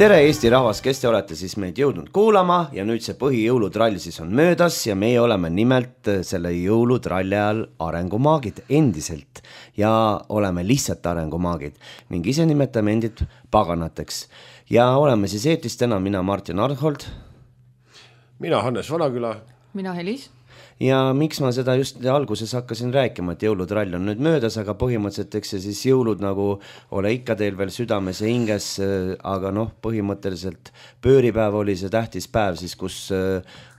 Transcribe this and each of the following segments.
Tere Eesti rahvas, kes te olete siis meid jõudnud kuulama ja nüüd see põhijõulutrall siis on möödas ja meie oleme nimelt selle jõulutralli ajal arengumaagid endiselt ja oleme lihtsalt arengumaagid ning ise nimetame endid paganateks ja oleme siis eetris täna mina Martin Arhold. Mina Hannes Vanaküla. Mina Helis. Ja miks ma seda just alguses hakkasin rääkima, et jõulutrall on nüüd möödas, aga põhimõtteliselt eks see siis jõulud nagu ole ikka teil veel südames ja hinges, aga põhimõtteliselt pööripäev oli see tähtis päev siis, kus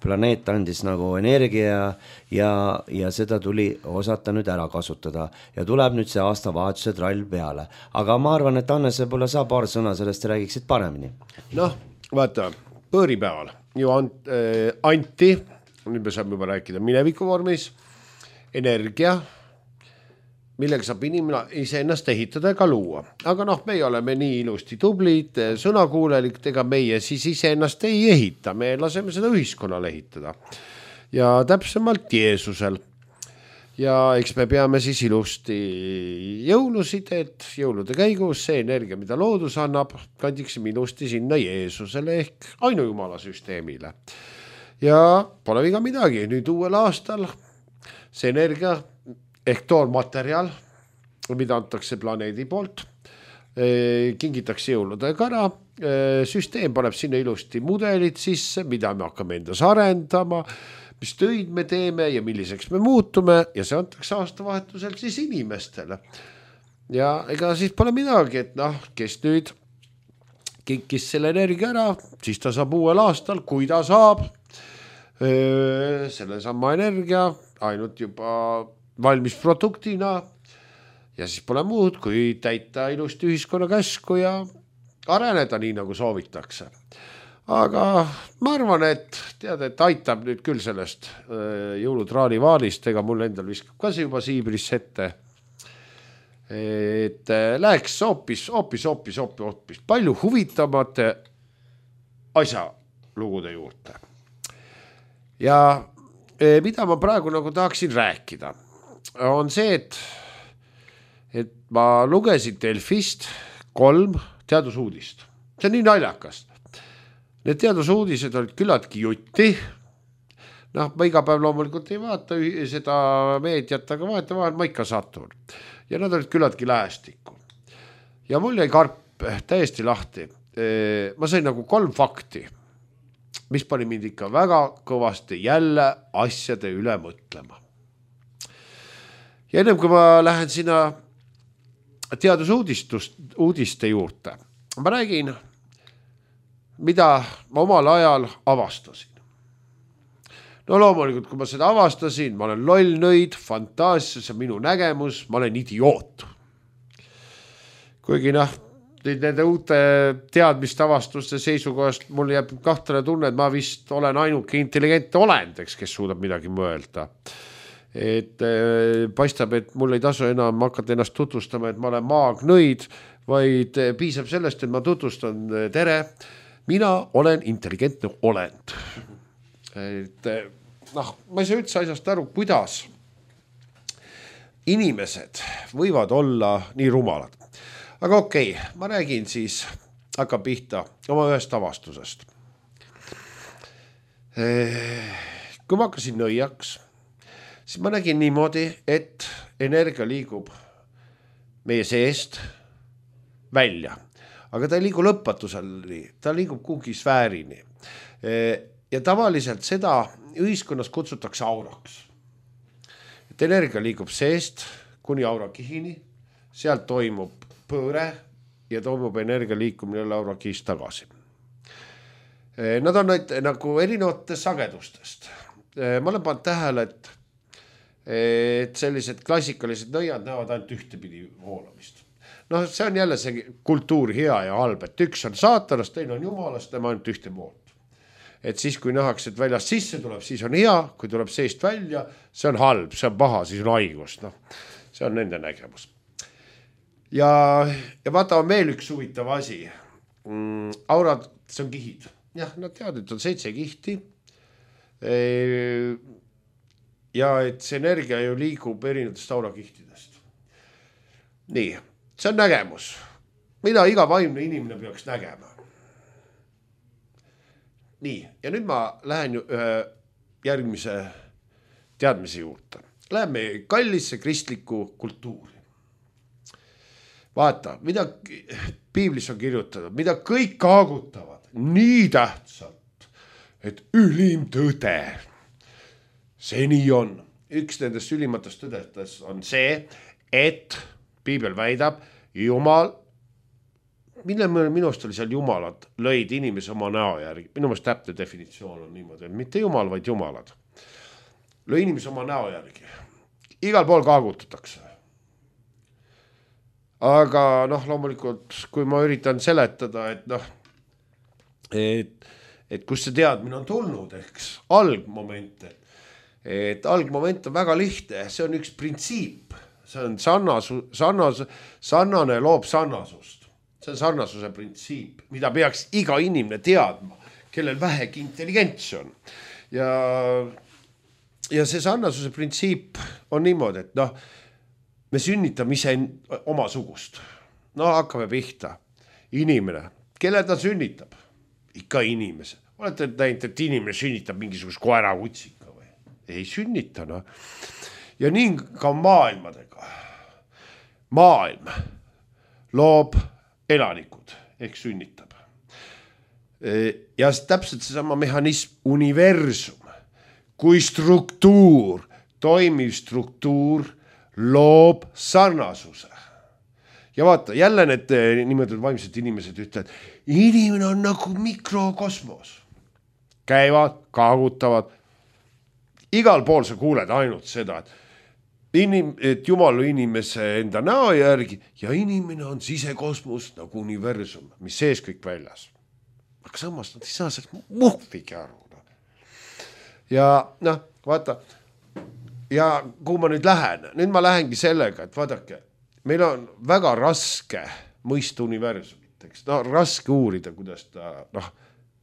planeet andis nagu energia ja seda tuli osata nüüd ära kasutada ja tuleb nüüd see aastavahetuse trall peale. Aga ma arvan, et Hannes võib-olla sa paar sõna sellest räägiksid paremini. Vaata, pööripäeval ju anti nüüd me saame juba rääkida mineviku vormis, energia, millega saab inimene iseennast ehitada ega luua. Aga me oleme nii ilusti tublid, sõnakuulelik, ega meie siis iseennast ei ehita, me laseme seda ühiskonnal ehitada. Ja täpsemalt Jeesusel. Ja eks me peame siis ilusti jõulusid, et jõulude käigus see energia, mida loodus annab, kandiksime ilusti sinna Jeesusele ehk ainujumala süsteemile. Ja pole viga midagi, nüüd uuel aastal see energia ehk toormaterial, mida antakse planeedi poolt, kingitakse jõuludega ära, süsteem paneb sinna ilusti mudelid sisse, mida me hakkame endas arendama, mis töid me teeme ja milliseks me muutume ja see antakse aastavahetusel siis inimestele. Ja ega siis pole midagi, et kes nüüd kinkis selle energia ära, siis ta saab uuel aastal, kui ta saab selle sama energia ainult juba valmis produktina ja siis pole muud, kui täita ilusti ühiskonna käsku ja areneda nii, nagu soovitakse. Aga ma arvan, et aitab nüüd küll sellest jõulutraali vaalist, ega mul endal viskab ka see juba siibris ette, et läheks hoopis palju huvitavate asjalugude juurde. Ja mida ma praegu nagu tahaksin rääkida, on see, et ma lugesin Delfist 3 teadusuudist. See on nii naljakas. Need teadusuudised olid küllaltki jutti. Ma iga päev loomulikult ei vaata seda meediat, aga vahel ma ikka satun. Ja nad olid küllaltki lähestikku. Ja mul jäi karp täiesti lahti. Ma sain nagu 3 fakti, mis pani mind ikka väga kõvasti jälle asjade üle mõtlema. Ja ennem kui ma lähen sinna teadusuudiste juurde, ma räägin, mida ma omal ajal avastasin. Loomulikult, kui ma seda avastasin, ma olen loll nõid, fantaasia, see on minu nägemus, ma olen idioot. Kuigi nende uute teadmiste avastuste seisukohast mul jääb kahtlane tunne, et ma vist olen ainuke intelligentne olend, kes suudab midagi mõelda. Et paistab, et mul ei tasu enam hakata ennast tutvustama, et ma olen maagnõid, vaid piisab sellest, et ma tutvustan tere. Mina olen intelligentne olend. Et ma ei saa üldse asjast aru, kuidas inimesed võivad olla nii rumalad. Aga okei, ma räägin siis, hakkab pihta oma ühest avastusest. Kui ma hakkasin nõiaks, siis ma nägin niimoodi, et energia liigub meie seest välja. Aga ta ei liigu lõpmatuseni, ta liigub kuhugi sfäärini. Ja tavaliselt seda ühiskonnas kutsutakse auraks. Et energia liigub seest kuni aurakihini, sealt toimub pööre ja toimub energia liikumine aurakihist tagasi. Nad on nagu erinevatest sagedustest. Ma olen pannud tähele, et sellised klassikalised nõiad näevad ainult ühtepidi voolamist. See on jälle see kultuur hea ja halb, et üks on saatanast, teine on jumalast, tema ainult ühte poolt. Et siis, kui nähakse, et väljast sisse tuleb, siis on hea, kui tuleb seest välja, see on halb, see on paha, siis on haigus. See on nende nägemus. Ja vaata on veel üks huvitav asi. Aurad, see on kihid. Jah, nad teavad, et on 7 kihti. Ja et see energia ju liigub erinevatest aurakihtidest. Nii, see on nägemus. Mida iga vaimne inimene peaks nägema. nii, ja nüüd ma lähen ühe järgmise teadmise juurde. Läheme kallisse kristlikku kultuuri. Vaata, mida piiblis on kirjutatud, mida kõik kaagutavad nii tähtsalt, et ülim tõde. See nii on. Üks nendest ülimatest tõdetest on see, et piibel väidab, Jumal, minu arust oli seal jumalad, lõid inimese oma näo järgi. Minu arust täpne definitsioon on niimoodi, et mitte jumal, vaid jumalad. Lõi inimese oma näo järgi. Igal pool kaagutatakse. Aga loomulikult, kui ma üritan seletada, et kus see teadmine on tulnud, eks, algmoment, et algmoment on väga lihtne, see on üks printsiip, see on sarnane loob sarnasust, see on sarnasuse printsiip, mida peaks iga inimene teadma, kellel vähegi intelligents on. Ja see sarnasuse printsiip on niimoodi, et me sünnitame ise oma sugust. Hakkame pihta. Inimene. Kelle ta sünnitab? Ikka inimese. Olete näinud, et inimene sünnitab mingisugust koera kutsika või? Ei sünnita. Ja nii ka maailmadega. Maailm loob elanikud ehk sünnitab. Ja täpselt seesama mehhanism, universum, kui struktuur, toimiv struktuur, loob sarnasuse. Ja vaata, jälle need nimetatud vaimsed inimesed ütlevad, inimene on nagu mikrokosmos. Käivad, kaagutavad. Igal pool sa kuuled ainult seda, et Jumal on inimese enda näo järgi ja inimene on sisekosmos nagu universum, mis sees kõik väljas. Aga samas nad ei saa sellest muhvigi aru. Ja vaata, ja kuhu ma nüüd lähen? Nüüd ma lähengi sellega, et vaadake, meil on väga raske mõista universumit, eks? Raske uurida, kuidas ta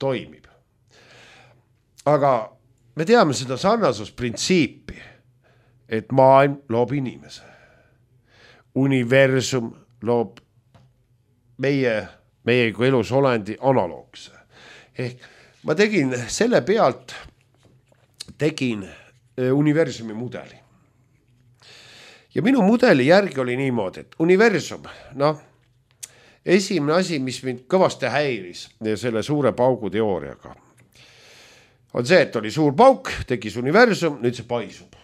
toimib. Aga me teame seda sarnasusprintsiipi, et maailm loob inimese. Universum loob meie kui elus olendi analoogse. Ehk ma tegin selle pealt, universumi mudeli. Ja minu mudeli järgi oli niimoodi, et universum, esimene asi, mis mind kõvasti häiris selle suure paugu teooriaga, on see, et oli suur pauk, tekkis universum, nüüd see paisub.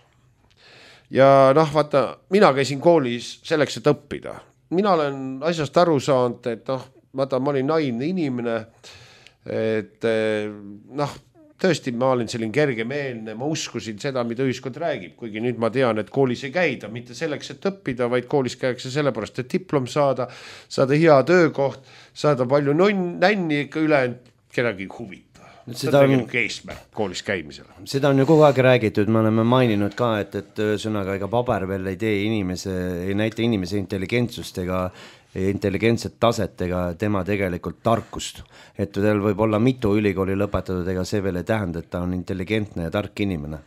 Ja vaata, mina käisin koolis selleks, et õppida. Mina olen asjast aru saanud, et vaata, ma olin naivne inimene, et tõesti, ma olin selline kergemeelne, ma uskusin seda, mida ühiskond räägib, kuigi nüüd ma tean, et koolis ei käida mitte selleks, et õppida, vaid koolis käiakse sellepärast, et diplom saada hea töökoht, saada palju nänni ikka üle, kedagi huvita. See on tegelikult eesmärk koolis käimisel. Seda on ju kogu aeg räägitud, me oleme maininud ka, et sõnaga ega paber veel ei näita inimese intelligentsust ega intelligentset taset ega tema tegelikult tarkust. Et teil võib olla mitu ülikooli lõpetatud, ega see veel ei tähenda, et ta on intelligentne ja tark inimene.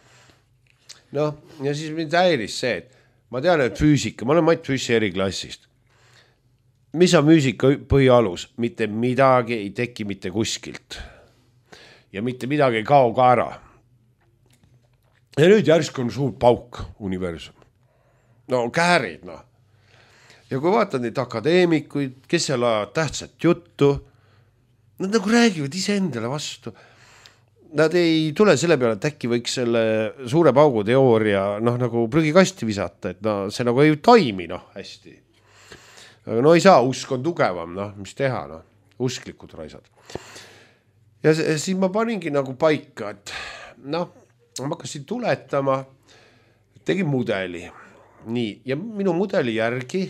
Ja siis mind häiris see, et ma tean, et füüsika, ma olen Mait Füüsi eriklassist. Mis on füüsika põhialus? Mitte midagi ei teki mitte kuskilt. Ja mitte midagi ei kao ka ära. Ja nüüd järsku on suur pauk universum. Käärid, Ja kui vaatad neid akadeemikuid, kes seal ajavad tähtsat juttu, nad nagu räägivad ise endale vastu. Nad ei tule selle peale, et äkki võiks selle suure paugu teooria nagu prügikasti visata, et see nagu ei toimi hästi. Aga ei saa, usk on tugevam, mis teha, usklikud raisad. Ja siis ma paningi nagu paika, et ma hakkasin tuletama, tegin mudeli. Nii, ja minu mudeli järgi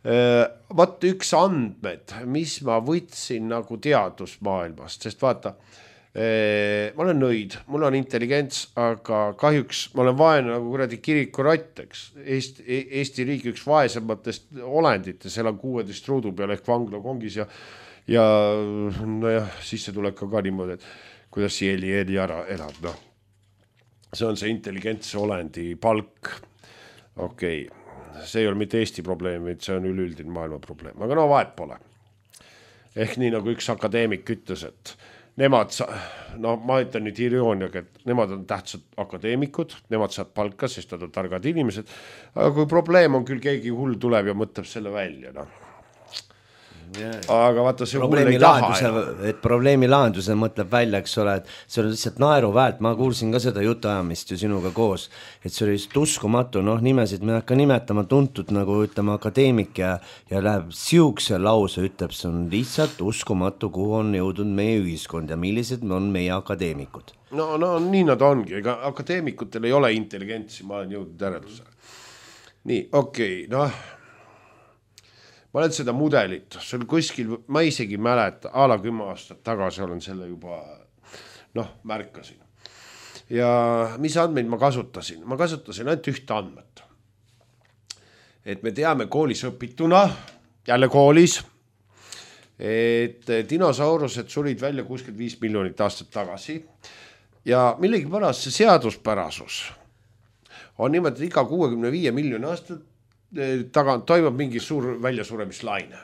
vaata üks andmed, mis ma võtsin nagu teadusmaailmast, sest vaata, ma olen nõid, mul on intelligents, aga kahjuks ma olen vaene nagu kuradi kirikurott, eks. Eesti riigi üks vaesematest olenditest, seal on 16 ruudu peal ehk vangla kongis ja sisse tuleb ka niimoodi, et kuidas see eli ära elab. See on see intelligentse olendi palk. Okei. See ei ole mitte Eesti probleem, vaid see on üleüldine maailma probleem. Aga vahet pole. Ehk nii nagu üks akadeemik ütles, nemad, no ma ütlen nüüd irooniaga, et nemad on tähtsad akadeemikud, nemad saavad palka, sest nad on targad inimesed, aga kui probleem on, küll keegi hull tuleb ja mõtleb selle välja, noh. Aga vaata see hull ei taha. Et probleemi lahenduse mõtleb välja, eks ole, et see on lihtsalt naeruväärt, ma kuulsin ka seda jutuajamist ju sinuga koos, et see oli just uskumatu, noh nimesid me hakka nimetama tuntud nagu ütleme akadeemik ja läheb siukse lause, ütleb, see on lihtsalt uskumatu, kuhu on jõudnud meie ühiskond ja millised on meie akadeemikud. No nii nad ongi, ega akadeemikutel ei ole intelligentsi, ma olen jõudnud järeldusele. Nii, okei, noh. Ma olen seda mudelit, see oli kuskil, ma isegi mäleta, ala 10 aastat tagasi olen selle juba, märkasin. Ja mis andmeid ma kasutasin? Ma kasutasin ainult ühte andmet. Et me teame koolis õpituna, jälle koolis, et dinosaurused surid välja 65 miljonit aastat tagasi ja millegi pärast see seaduspärasus on niimoodi, et iga 65 miljoni aastat tagant toimub mingi suur väljasuremislaine.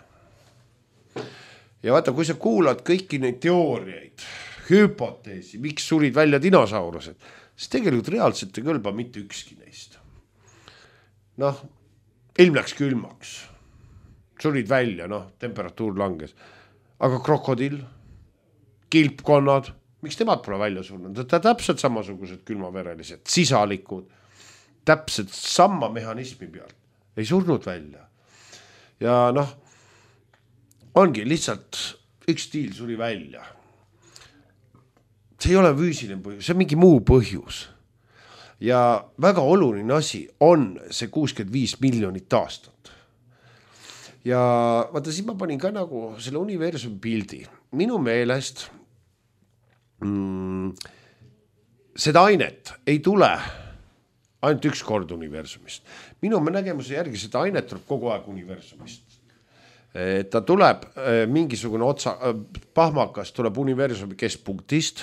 Ja vaata, kui sa kuulad kõiki neid teooriaid, hüpoteesi, miks surid välja dinosaurused, siis tegelikult reaalselt ei kõlba mitte ükski neist. Ilm läks külmaks, surid välja, temperatuur langes. Aga krokodill, kilpkonnad, miks temad pole välja surnud? Ta täpselt samasugused külmaverelised, sisalikud, täpselt sama mehhanismi pealt. Ei surnud välja. Ja ongi lihtsalt üks stiil suri välja. See ei ole füüsiline põhjus, see on mingi muu põhjus. Ja väga oluline asi on see 65 miljonit aastat. Ja vaata, siis ma panin ka nagu selle universumi pildi. Minu meelest seda ainet ei tule ainult üks kord universumist. Minu nägemuse järgi seda ainet tuleb kogu aeg universumist. Ta tuleb mingisugune pahmakas tuleb universumi keskpunktist,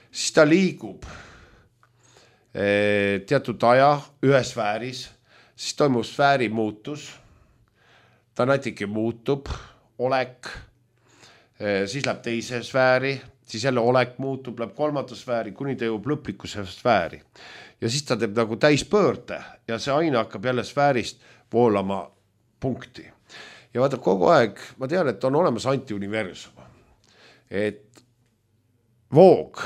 siis ta liigub teatud aja ühe sfääris, siis toimub sfääri muutus, ta natuke muutub, olek, siis läheb teise sfääri, siis jälle olek muutub, läheb kolmanda sfääri, kuni ta jõuab lõplikuse sfääri. Ja siis ta teeb nagu täispöörde ja see aine hakkab jälle sfäärist voolama punkti. Ja vaata kogu aeg, ma tean, et on olemas antiuniversum. Et voog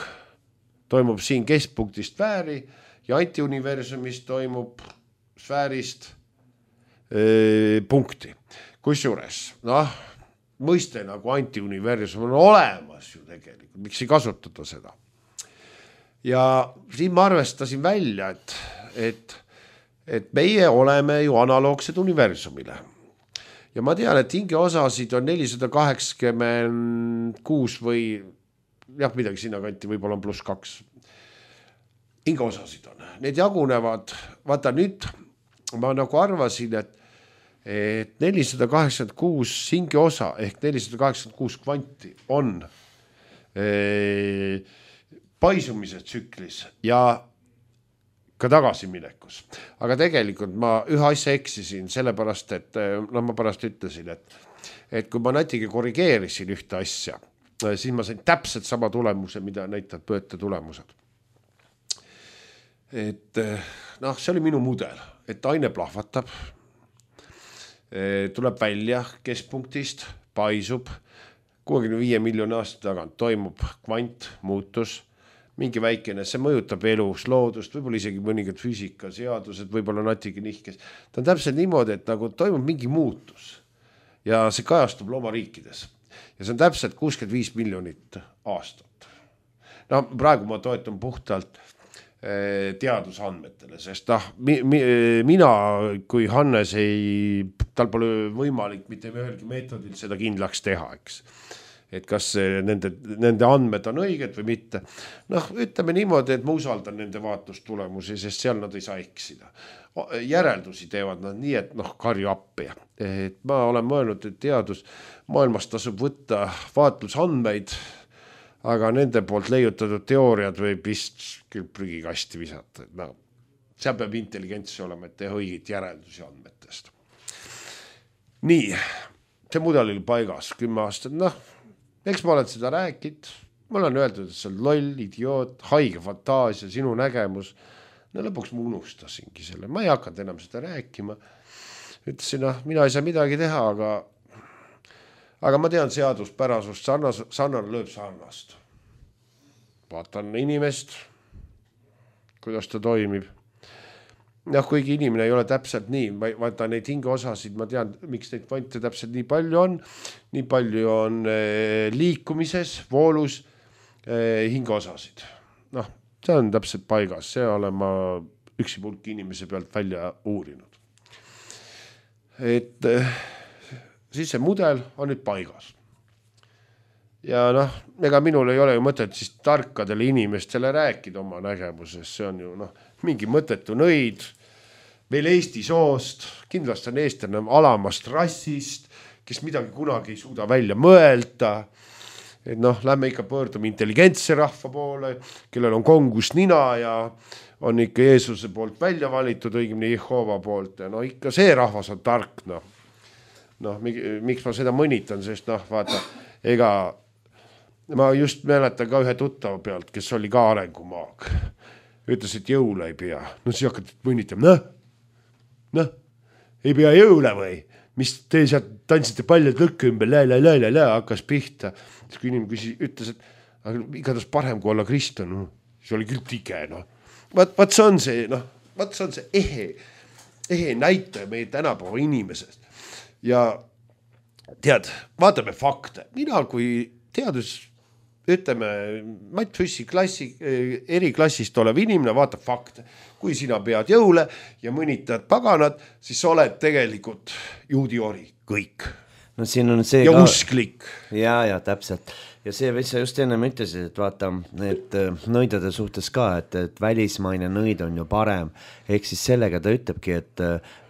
toimub siin keskpunktist sfääri ja antiuniversumist toimub sfäärist punkti. Kusjuures, mõiste nagu antiuniversum on olemas ju tegelikult, miks ei kasutada seda. Ja siin ma arvestasin välja, et meie oleme ju analoogsed universumile. Ja ma tean, et hingeosasid on 486 või midagi sinna kanti, võib-olla on +2. Hingeosasid on. Need jagunevad, vaata nüüd ma nagu arvasin, et 486 hingeosa ehk 486 kvanti on paisumise tsüklis ja ka tagasiminekus. Aga tegelikult ma ühe asja eksisin sellepärast, et ma pärast ütlesin, et kui ma natuke korrigeerisin ühte asja, siis ma sain täpselt sama tulemuse, mida näitab pööte tulemused. Et see oli minu mudel, et aine plahvatab, tuleb välja keskpunktist, paisub, 65 miljoni aasta tagant toimub kvant, muutus, mingi väikene, see mõjutab elus, loodust, võib-olla isegi mõningad füüsikaseadused, võib-olla natuke nihkes. Ta on täpselt niimoodi, et nagu toimub mingi muutus ja see kajastub loomariikides. Ja see on täpselt 65 miljonit aastat. Praegu ma toetan puhtalt teadusandmetele, sest mina kui Hannes tal pole võimalik mitte ühelgi meetodil seda kindlaks teha, eks. Et kas nende andmed on õiged või mitte. Ütleme niimoodi, et ma usaldan nende vaatlustulemusi, sest seal nad ei saa eksida. Järeldusi teevad nad nii, et karju appi. Et ma olen mõelnud, et teadus maailmas tasub võtta vaatlusandmeid, aga nende poolt leiutatud teooriad võib vist küll prügikasti visata. Seal peab intelligentsi olema, et teha õiged järeldusi andmetest. Nii, see mudel oli paigas 10 aastat, eks ma olen seda rääkinud, mul on öeldud, et see on loll, idioot, haige fantaasia, sinu nägemus. No lõpuks ma unustasingi selle, ma ei hakanud enam seda rääkima. Ütlesin, mina ei saa midagi teha, aga ma tean seaduspärasust, sarnane lööb sarnast. Vaatan inimest, kuidas ta toimib. Kuigi inimene ei ole täpselt nii, vaata neid hingeosasid, ma tean, miks neid kvante täpselt nii palju on liikumises, voolus hingeosasid. See on täpselt paigas, see olen ma üksi pulk inimese pealt välja uurinud. Et siis see mudel on nüüd paigas. Ja ega minul ei ole ju mõtet siis tarkadele inimestele rääkida oma nägemusest, see on ju mingi mõttetu nõid, veel Eesti soost, kindlasti on eestlane alamast rassist, kes midagi kunagi ei suuda välja mõelda, et lähme ikka pöördume intelligentse rahva poole, kellel on kongus nina ja on ikka Jeesuse poolt välja valitud, õigemini Jehova poolt ja ikka see rahvas on tark, miks ma seda mõnitan, sest vaata, ega ma just mäletan ka ühe tuttava pealt, kes oli ka arengumaag. Ütles, et jõule ei pea. Siis hakkad mõnitama. Ei pea jõule või? Mis te sealt tantsite paljad lõkke ümber, hakkas pihta. Siis kui inimene ütles, et igatahes parem kui olla kristlane. See oli küll tige. Vaat see on see ehe näitaja meie tänapäeva inimesest. Ja tead, vaatame fakte. Mina kui teadus ütleme, Matt Füssi eriklassist olev inimene vaatab fakte. Kui sina pead jõule ja mõnitad paganad, siis oled tegelikult juudi ori, kõik. Siin on see ja ka... usklik. Ja, täpselt. Ja see, mis sa just ennem ütlesid, et vaata, need nõidade suhtes ka, et välismaine nõid on ju parem. Ehk siis sellega ta ütlebki, et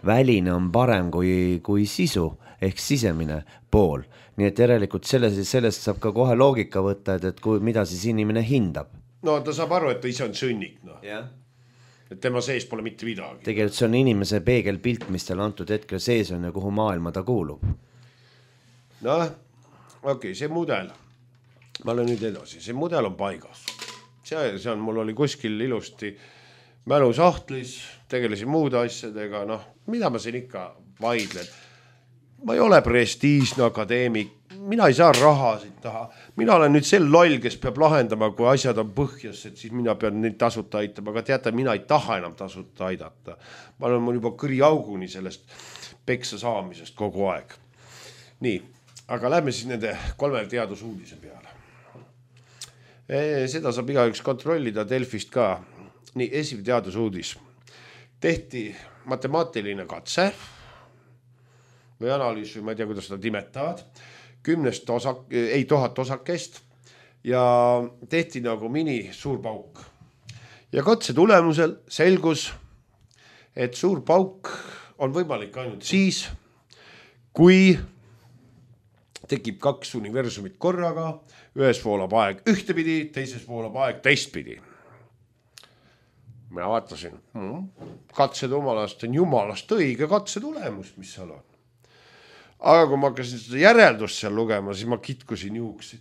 väline on parem kui sisu, ehk sisemine pool. Nii et järelikult sellest saab ka kohe loogika võtta, et mida siis inimene hindab. Ta saab aru, et ta ise on sõnnik. Jah. Et tema sees pole mitte midagi. Tegelikult see on inimese peegelpilt, mis tal antud hetkel sees on ja kuhu maailma ta kuulub. Okei, see mudel. Ma olen nüüd edasi. See mudel on paigas. See on, mul oli kuskil ilusti mälusahtlis, tegelesin muude asjadega. Mida ma siin ikka vaidlen? Ma ei ole prestiižne akadeemik, mina ei saa rahasid taha. Mina olen nüüd sel loll, kes peab lahendama, kui asjad on põhjas, et siis mina pean neid tasuta aitama, aga teate, mina ei taha enam tasuta aidata. Ma olen mul juba kõri auguni sellest peksa saamisest kogu aeg. Nii, aga lähme siis nende 3 teadusuudise peale. Seda saab igaüks kontrollida Delfist ka. Nii, esimene teadusuudis. Tehti matemaatiline katse või analüüs, või ma ei tea, kuidas seda nimetavad, 1000 osakest ja tehti nagu mini suur pauk. Ja katse tulemusel selgus, et suur pauk on võimalik ainult siis, kui tekib 2 universumit korraga, ühes voolab aeg ühtepidi, teises voolab aeg teistpidi. Mina vaatasin, katsed omalast on jumalast õige katse tulemus, mis seal on. Aga kui ma hakkasin seda järeldust seal lugema, siis ma kitkusin juuksid.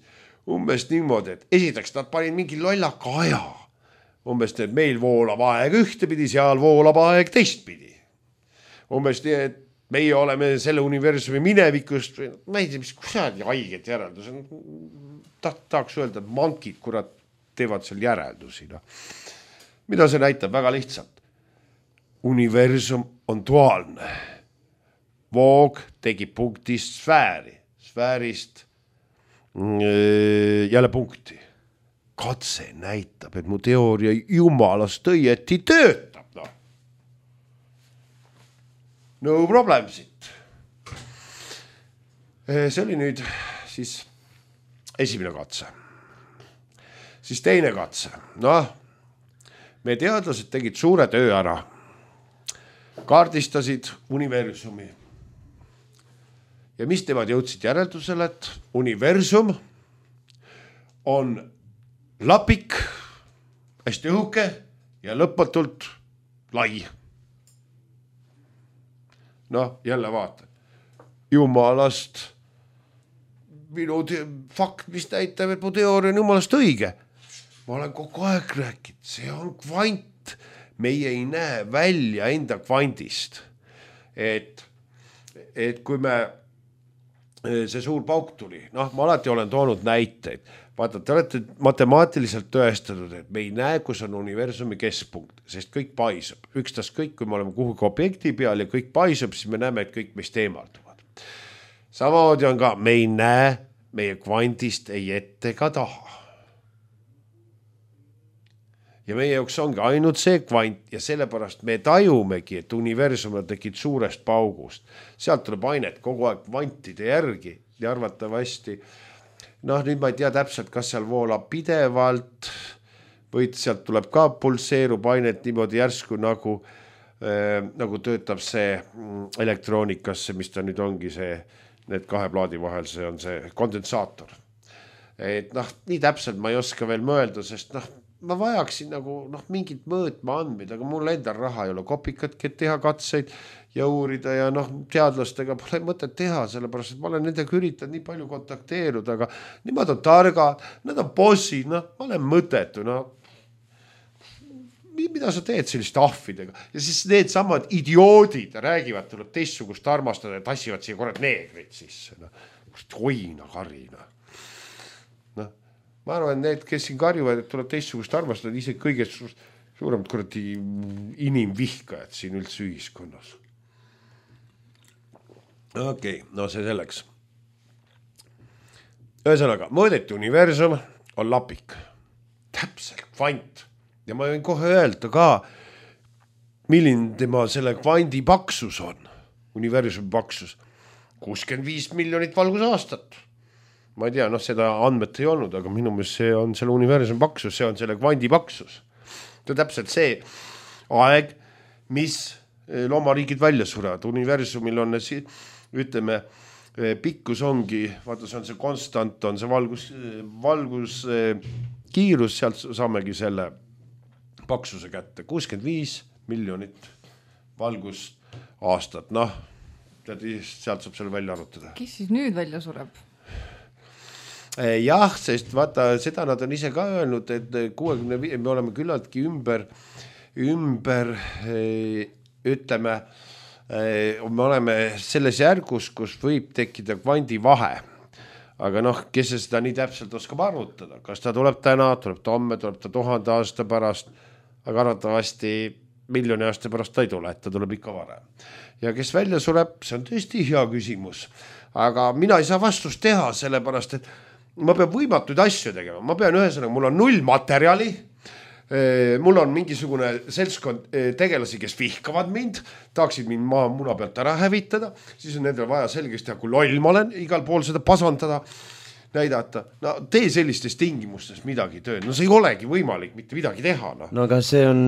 Umbes niimoodi, et esiteks nad panid mingi lollaka aja. Umbes nii, et meil voolab aeg ühtepidi, seal voolab aeg teistpidi. Umbes nii, et meie oleme selle universumi minevikust, ma ei tea, mis kusagil haiged järeldus. Tahaks öelda, et mankid, kurat, teevad seal järeldusi. Mida see näitab? Väga lihtsalt. Universum on duaalne. Voog tegib punktist sfääri, sfäärist jälle punkti. Katse näitab, et mu teooria jumalast õieti töötab. No problem siit. See oli nüüd siis esimene katse. Siis teine katse. Me teadlased tegid suure töö ära. Kaardistasid universumi. Ja mis temad jõudsid järeldusele, et universum on lapik, hästi õhuke ja lõpmatult lai. Jälle vaata. Jumalast minu fakt, mis näitab, et mu teooria on jumalast õige. Ma olen kogu aeg rääkinud, see on kvant. Meie ei näe välja enda kvandist. Et kui me, see suur pauk tuli, noh, ma alati olen toonud näiteid. Vaata, te olete matemaatiliselt tõestatud, et me ei näe, kus on universumi keskpunkt, sest kõik paisub. Ükstas kõik, kui me oleme kuhugi objekti peal ja kõik paisub, siis me näeme, et kõik meist eemalduvad. Samamoodi on ka, me ei näe meie kvantist ei ette ega taha. Ja meie jaoks ongi ainult see kvant ja sellepärast me tajumegi, et universum on tekkinud suurest paugust. Sealt tuleb ainet kogu aeg kvantide järgi ja arvatavasti noh, nüüd ma ei tea täpselt, kas seal voolab pidevalt või sealt tuleb ka pulseerub ainet niimoodi järsku nagu töötab see elektroonikasse, mis ta nüüd ongi see, need kahe plaadi vahel, see on see kondensaator. Et noh, nii täpselt ma ei oska veel mõelda, sest noh, ma vajaksin nagu mingit mõõtma andmeid, aga mul endal raha ei ole kopikatki, et teha katseid ja uurida ja noh, teadlastega pole mõtet teha, sellepärast, et ma olen nendega üritanud nii palju kontakteeruda, aga nemad on targad, nad on bossid, noh, ma olen mõtetu, noh. Mida sa teed selliste ahvidega? Ja siis need samad idioodid räägivad, tuleb teistsugust armastada ja tassivad siia korrad neegrid sisse, noh. Hoina karina. Ma arvan, need, kes siin karjuvad, et tuleb teistsugust armastada, ise kõige suuremad kuradi inimvihkajad siin üldse ühiskonnas. Okei, no see selleks. Ühesõnaga, mõõdeti universum on lapik. Täpselt, kvant. Ja ma võin kohe öelda ka, milline tema selle kvandi paksus on. Universumi paksus. 65 miljonit valgusaastat. Ma ei tea, noh, seda andmet ei olnud, aga minu meelest see on selle universumi paksus, see on selle kvandi paksus. See on täpselt see aeg, mis loomariigid välja surevad. Universumil on, ütleme, pikkus ongi, vaata, see on see konstant, on see valgus kiirus, sealt saamegi selle paksuse kätte. 65 miljonit valgusaastat, noh, sealt saab selle välja arvutada. Kes siis nüüd välja sureb? Jah, sest vaata, seda nad on ise ka öelnud, et 65, me oleme küllaltki ümber ütleme, me oleme selles järgus, kus võib tekkida kvandi vahe. Aga noh, kes seda nii täpselt oskab arvutada? Kas ta tuleb täna, tuleb ta homme, tuleb ta 1000 aasta pärast, aga arvatavasti miljoni aasta pärast ta ei tule, et ta tuleb ikka varem. Ja kes välja sureb, see on tõesti hea küsimus. Aga mina ei saa vastust teha, sellepärast, et ma pean võimatuid asju tegema. Ma pean ühesõnaga, mul on 0 materjali, mul on mingisugune seltskond tegelasi, kes vihkavad mind, tahaksid mind muna pealt ära hävitada, siis on nendel vaja selgeks teha, kui loll ma olen, igal pool seda pasandada, näidata. No tee sellistes tingimustes midagi tööd. No see ei olegi võimalik mitte midagi teha. No aga see on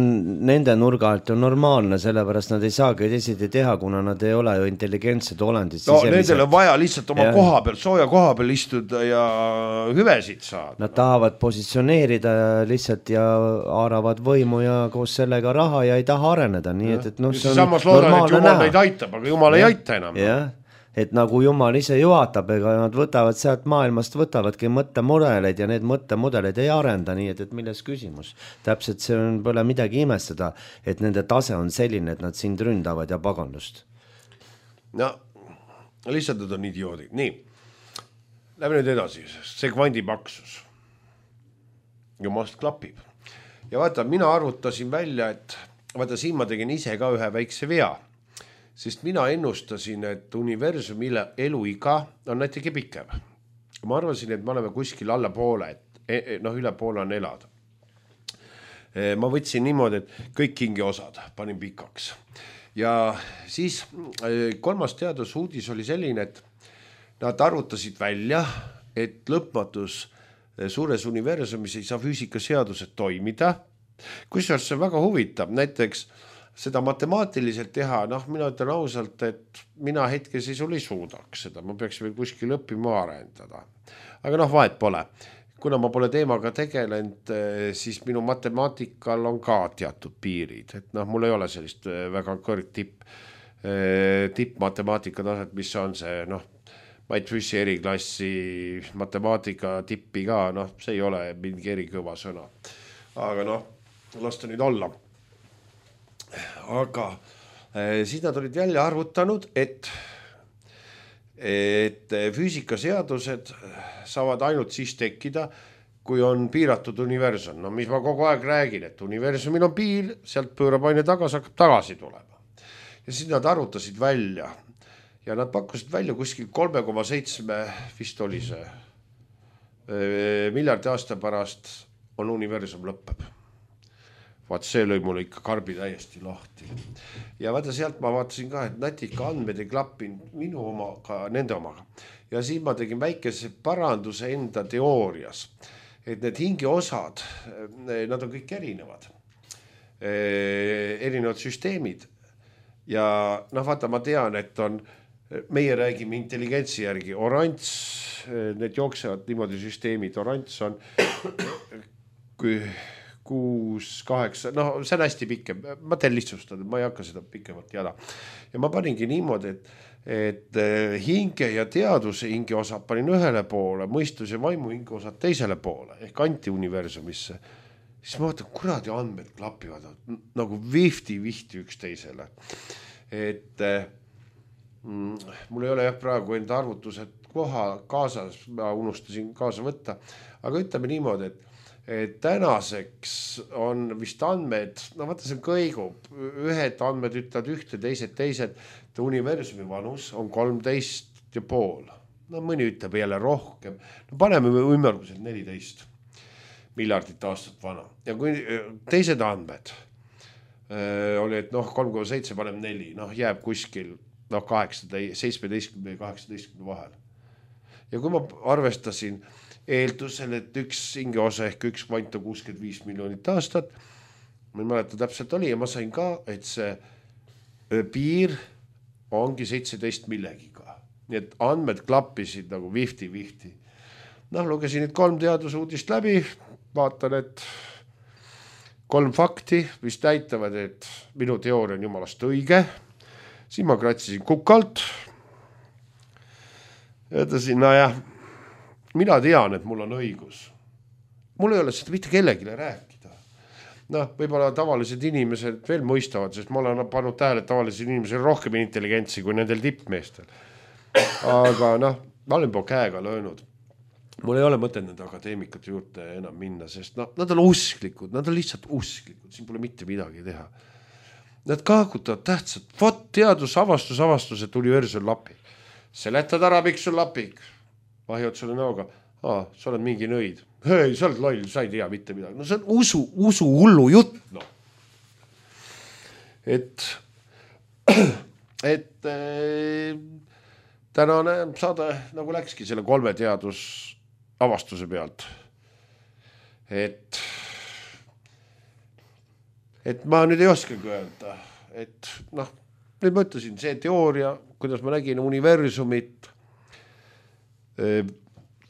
nende nurga alt on normaalne, sellepärast nad ei saagi teisiti teha, kuna nad ei ole ju intelligentsed olendid. No nendel on vaja lihtsalt oma koha peal, sooja koha peal istuda ja hüvesid saada. Nad tahavad positsioneerida lihtsalt ja haaravad võimu ja koos sellega raha ja ei taha areneda. Nii et no, see on samas loodan, et Jumal neid aitab, aga Jumal ei aita enam. Jah. Et nagu Jumal ise juhatab, ega nad võtavad sealt maailmast, võtavadki mõttemudeleid ja need mõttemudeleid ei arenda, nii et milles küsimus. Täpselt see on pole midagi imestada, et nende tase on selline, et nad sind ründavad ja pagandust. No, lihtsalt nad on idioodid. Nii, lähme nüüd edasi. See kvandi paksus. Jumalast klapib. Ja vaata, mina arvutasin välja, et vaata, siin ma tegin ise ka ühe väikse vea. Sest mina ennustasin, et universumile eluiga on näitegi pikem. Ma arvasin, et me oleme kuskil alla poole, et üle poole on elada. Ma võtsin niimoodi, et kõik hingeosad panin pikaks. Ja siis kolmas teadusuudis oli selline, et nad arvutasid välja, et lõpmatus suures universumis ei saa füüsikaseadused toimida. Kusjuures see väga huvitab, näiteks seda matemaatiliselt teha, noh, mina ütlen ausalt, et mina hetkeseisul ei suudaks seda, ma peaks veel kuskil õppima arendada. Aga noh, vahet pole. Kuna ma pole teemaga tegelenud, siis minu matemaatikal on ka teatud piirid, et noh, mul ei ole sellist väga kõrg tipp matemaatika taset, mis on see, noh, Mait Füssi eriklassi matemaatika tippi ka, noh, see ei ole mingi erikõva sõna. Aga noh, las ta nüüd olla. Aga siis nad olid välja arvutanud, et füüsikaseadused saavad ainult siis tekkida, kui on piiratud universum. No mis ma kogu aeg räägin, et universumil on piir, sealt pöörab aine tagasi, hakkab tagasi tulema. Ja siis nad arvutasid välja ja nad pakkusid välja kuskil 3,7 vist oli see miljardi aasta pärast on universum lõpeb. Vaat see lõi mulle ikka karbi täiesti lahti. Ja vaata sealt ma vaatasin ka, et natika andmed ei klappinud minu omaga, nende omaga. Ja siin ma tegin väikese paranduse enda teoorias, et need hingeosad, nad on kõik erinevad. Erinevad süsteemid. Ja noh, vaata, ma tean, et on, meie räägime intelligentsi järgi, oranž, need jooksevad niimoodi süsteemid, oranž on 6, 8, no see on hästi pikem, ma teen lihtsustada, ma ei hakka seda pikemalt jada. Ja ma paningi niimoodi, et hinge ja teaduse hingeosad panin ühele poole, mõistus ja vaimu hingeosad teisele poole, ehk antiuniversumisse. Siis ma vaatan, kuradi andmed klapivad nagu vihti üks teisele. Et mul ei ole jah praegu enda arvutused koha kaasas, ma unustasin kaasa võtta, aga ütleme niimoodi, et tänaseks on vist andmed, no vaata see kõigub, ühed andmed ütlevad ühte, teised, universumi vanus on 13,5. No mõni ütleb jälle rohkem, no paneme ümmarguselt 14 miljardit aastat vana. Ja kui teised andmed oli, et noh, 3,7 panem 4, noh jääb kuskil 17 või 18 vahel. Ja kui ma arvestasin eeldusel, et üks hingeosa ehk üks kvant on 65 miljonit aastat, ma ei mäleta täpselt oli ja ma sain ka, et see piir ongi 17 millegiga. Nii et andmed klappisid nagu vihti. Noh, lugesin nüüd 3 teadusuudist läbi, vaatan, et 3 fakti, mis näitavad, et minu teooria on jumalast õige. Siin ma kratsisin kukalt. Ütlesin, jah, mina tean, et mul on õigus. Mul ei ole seda mitte kellegile rääkida. Noh, võib-olla tavalised inimesed veel mõistavad, sest ma olen pannud tähele, et tavalised inimesed rohkem intelligentsi kui nendel tippmeestel. Aga noh, ma olen po käega löönud. Mul ei ole mõtet nende akadeemikate juurde enam minna, sest nad on usklikud, nad on lihtsalt usklikud, siin pole mitte midagi teha. Nad kaakutavad tähtsad, vot teadusavastus, et universum lapik. Seletad ära, miks sul lapik? Vahjad sulle näoga, sa oled mingi nõid. Hei, sa oled loll, sa ei tea mitte midagi. No see on usu hullu jutt, noh. Et tänane saade nagu läkski selle 3 teadusavastuse pealt. Et ma nüüd ei oskagi öelda, et noh, nüüd ma ütlesin, see teooria, kuidas ma nägin universumit,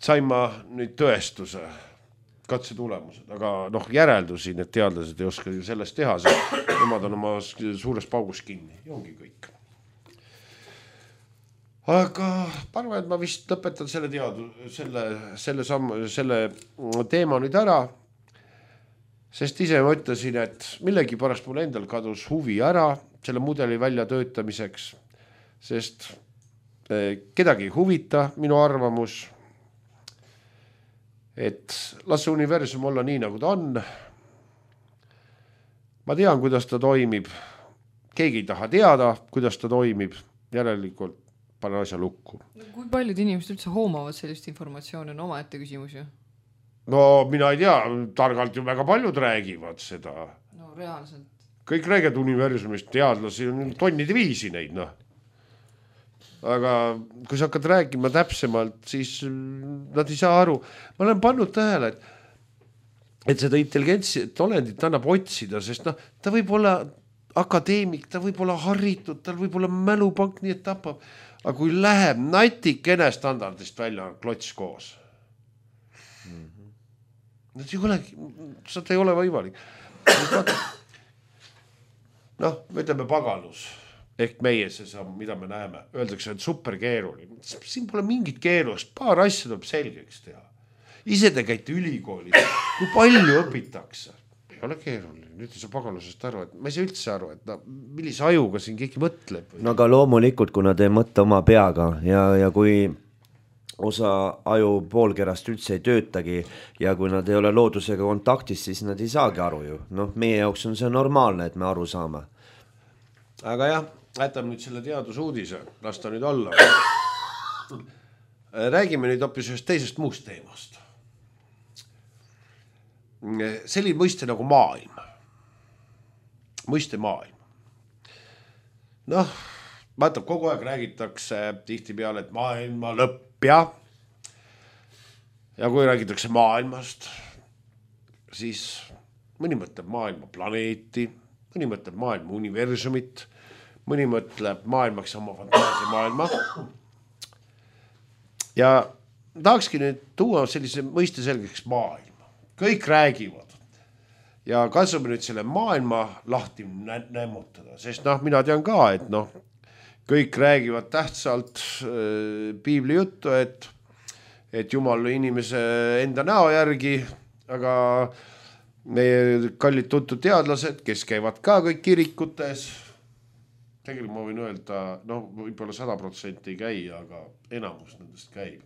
sain ma nüüd tõestuse, katse tulemused, aga noh, järeldusin, et teadlased ei oska sellest teha, sest nemad on oma suures paugus kinni ja ongi kõik. Aga parva, et ma vist lõpetan selle teema nüüd ära, sest ise ma ütlesin, et millegi pärast mul endal kadus huvi ära selle mudeli välja töötamiseks, sest kedagi ei huvita minu arvamus, et las universum olla nii, nagu ta on. Ma tean, kuidas ta toimib. Keegi ei taha teada, kuidas ta toimib. Järelikult panen asja lukku. Kui paljud inimesed üldse hoomavad sellist informatsiooni, on omaette küsimus ju? No mina ei tea, targalt ju väga paljud räägivad seda. No reaalselt. Kõik räägivad universumist, teadlasi on tonnide viisi neid, noh. Aga kui sa hakkad rääkima täpsemalt, siis nad ei saa aru. Ma olen pannud tähele, et seda intelligentsi olendit annab otsida, sest noh, ta võib olla akadeemik, ta võib olla haritud, tal võib olla mälupank, nii et tapab. Aga kui läheb natikene standardist välja, on klots koos. Seda ei ole võimalik. Noh, me ütleme pagalus, ehk meie see samm, mida me näeme, öeldakse, et super keeruline. Siin pole mingit keerust, paar asja tuleb selgeks teha. Ise te käite ülikoolis, kui palju õpitakse. Ei ole keeruline, nüüd ei saa pagalusest aru, et ma ei saa üldse aru, et millise ajuga siin keegi mõtleb. No aga loomulikult, kuna te mõtte oma peaga ja kui osa aju poolkerast üldse ei töötagi ja kui nad ei ole loodusega kontaktis, siis nad ei saagi aru ju. Noh, meie jaoks on see normaalne, et me aru saame. Aga jah, jätame nüüd selle teadusuudise, las ta nüüd olla. Räägime nüüd hoopis ühest teisest muust teemast. Selline mõiste nagu maailm. Mõiste maailm. Noh, vaata, kogu aeg räägitakse tihti peale, et maailma lõpp ja kui räägitakse maailmast, siis mõni mõtleb maailma planeeti, mõni mõtleb maailma universumit, mõni mõtleb maailmaks oma fantaasia maailma. Ja tahakski nüüd tuua sellise mõiste selgeks maailma. Kõik räägivad ja katsume nüüd selle maailma lahti nämmutada, sest mina tean ka, et kõik räägivad tähtsalt piibli juttu, et Jumal inimese enda näo järgi, aga meie kallid tuntud teadlased, kes käivad ka kõik kirikutes, tegelikult ma võin öelda, võib-olla 100% ei käi, aga enamus nendest käib.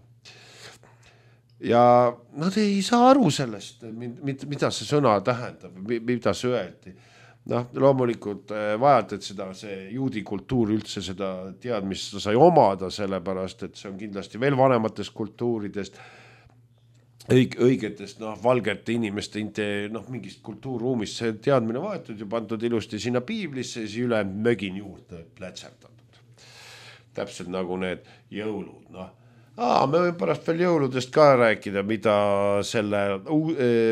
Ja nad ei saa aru sellest, mida see sõna tähendab, mida see öeldi. Loomulikult vajad, et see juudi kultuur üldse seda teadmist sai omada, sellepärast, et see on kindlasti veel vanematest kultuuridest, õigetest valgete inimeste mingist kultuurruumist see teadmine vaetud ja pandud ilusti sinna piiblisse ja siis üle mögin juurde plätserdatud. Täpselt nagu need jõulud. Me võime pärast veel jõuludest ka rääkida, mida selle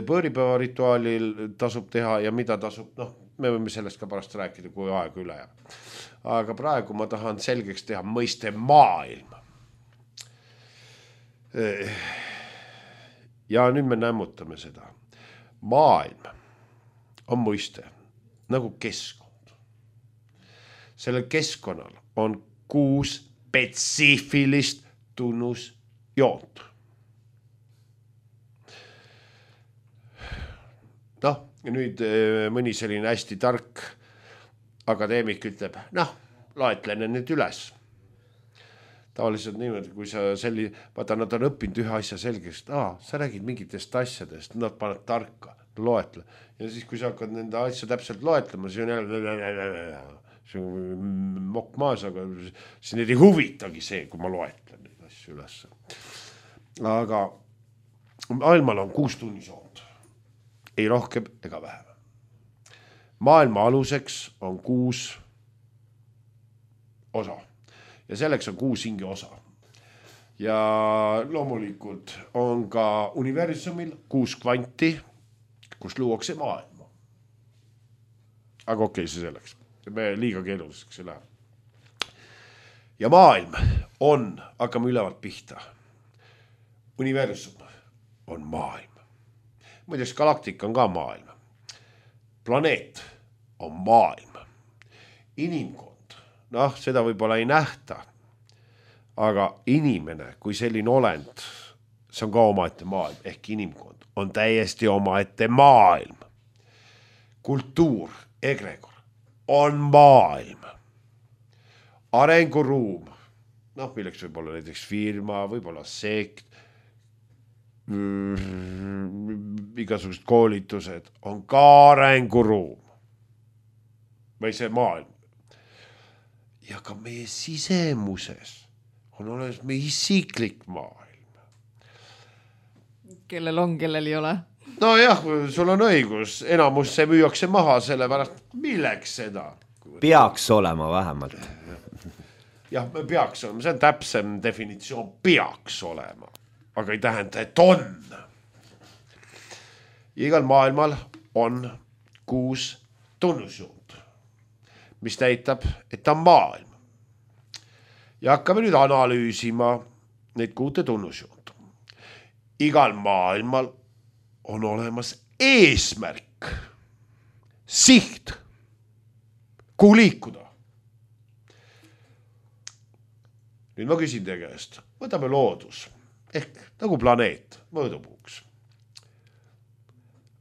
põõripäeva rituaalil tasub teha ja mida tasub, me võime sellest ka pärast rääkida, kui aeg üle jääb. Aga praegu ma tahan selgeks teha mõiste maailm. Ja nüüd me nämmutame seda. Maailm on mõiste nagu keskkond. Sellel keskkonnal on 6 spetsiifilist tunnusjoont. Nüüd mõni selline hästi tark akadeemik ütleb, loetlene nüüd üles. Tavaliselt niimoodi, kui sa vaata, nad on õppinud ühe asja selgeks, sa räägid mingitest asjadest, nad paned tarka, loetle. Ja siis, kui sa hakkad nende asja täpselt loetlema, siis on jälle mokk maas, aga siis need ei huvitagi see, kui ma loetlen neid asju üles. Aga maailmal on 6 tunnisjoont. Ei rohkem ega vähem. Maailma aluseks on 6 osa. Ja selleks on 6 hinge osa. Ja loomulikult on ka universumil 6 kvanti, kus luuakse maailma. Aga okei, see selleks. Me liiga keeruliseks ei lähe. Ja maailm on, hakkame ülevalt pihta. Universum on maailm. Muideks galaktika on ka maailm. Planeet on maailm. Inimkond, seda võib-olla ei nähta, aga inimene kui selline olend, see on ka omaette maailm, ehk inimkond on täiesti omaette maailm. Kultuur, egregor on maailm. Arenguruum, milleks võib olla näiteks firma, võib olla sekt, igasugused koolitused on ka arenguruum või see maailm. Ja ka meie sisemuses on olemas meie isiklik maailm. Kellel on, kellel ei ole. Jah, sul on õigus, enamus see müüakse maha, sellepärast milleks seda? Peaks olema vähemalt. Jah, peaks olema, see on täpsem definitsioon, peaks olema. Aga ei tähenda, et on. Igal maailmal on 6 tunnusjoont, mis näitab, et ta on maailm. Ja hakkame nüüd analüüsima neid 6 tunnusjoont. Igal maailmal on olemas eesmärk, siht, kuhu liikuda. nüüd ma küsin teie käest, võtame loodus ehk nagu planeet mõõdupuuks.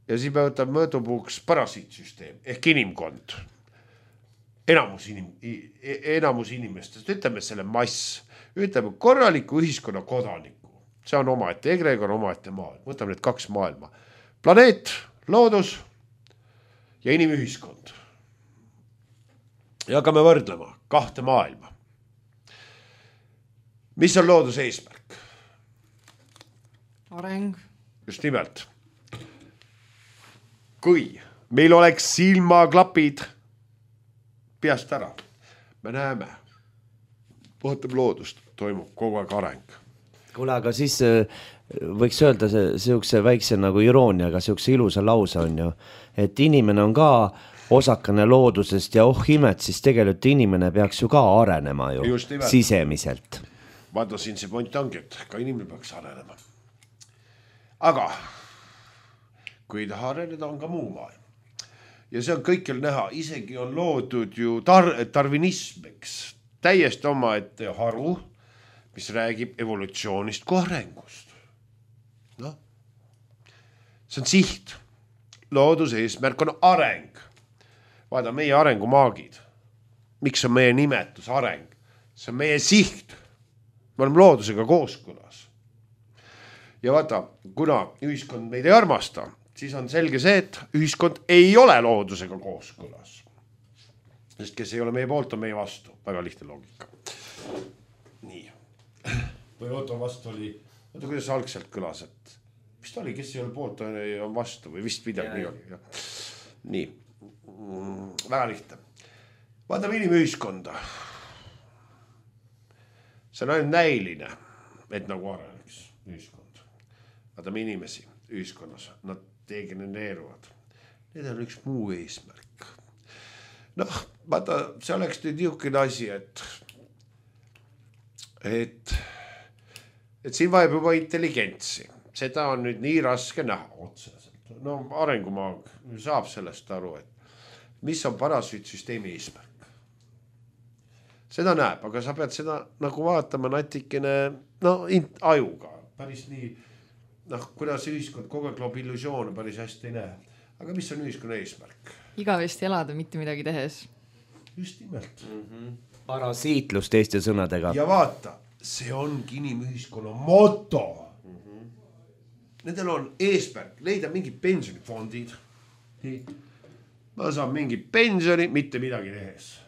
Ja siis me võtame mõõdupuuks parasiitsüsteem ehk inimkond. Enamus inimestest, ütleme selle mass, ütleme korraliku ühiskonna kodaniku. See on omaette egregor, omaette maailm. Võtame need 2 maailma. Planeet, loodus ja inimühiskond. Ja hakkame võrdlema 2 maailma. Mis on looduse eesmärk? Areng. Just nimelt. Kui meil oleks silmaklapid peast ära, me näeme, vaatame loodust, toimub kogu aeg areng. Kuule, aga siis võiks öelda siukse väikse nagu irooniaga, siukse ilusa lause on ju, et inimene on ka osakane loodusest ja imet, siis tegelikult inimene peaks ju ka arenema ju sisemiselt. Vaata siin see point ongi, et ka inimene peaks arenema. Aga kui ei taha areneda, on ka muu maailm. Ja see on kõikjal näha, isegi on loodud ju darwinismiks täiesti oma ette haru, mis räägib evolutsioonist kui arengust. No. See on siht. Looduse eesmärk on areng. Vaada, meie arengumaagid. Miks on meie nimetus areng? See on meie siht. Me oleme loodusega kooskõlas. Ja vaata, kuna ühiskond meid ei armasta, siis on selge see, et ühiskond ei ole loodusega kooskõlas. Sest kes ei ole meie poolt, on meie vastu. Väga lihtne loogika. Nii. Või oota vastu oli, oota kuidas algselt kõlas, et mis ta oli, kes ei ole poolt, on vastu või vist midagi nii oli. Nii. Väga lihtne. Vaatame inimühiskonda. See on ainult näiline, et nagu areneks ühiskond. Vaatame inimesi ühiskonnas, nad degenereeruvad. Need on üks muu eesmärk. Noh, vaata, see oleks nüüd niisugune asi, et siin vajab juba intelligentsi. Seda on nüüd nii raske näha otseselt. No arengumaag saab sellest aru, et mis on parasiitsüsteemi eesmärk. Seda näeb, aga sa pead seda nagu vaatama natikene ajuga. Päris nii, kuidas ühiskond kogu aeg loob illusioone päris hästi ei näe. Aga mis on ühiskonna eesmärk? Igavesti elada, mitte midagi tehes. Just nimelt. Parasiitlus teiste sõnadega. Ja vaata, see ongi inimühiskonna moto. Nendel on eesmärk leida mingid pensionifondid. Ma saan mingi pensioni, mitte midagi tehes.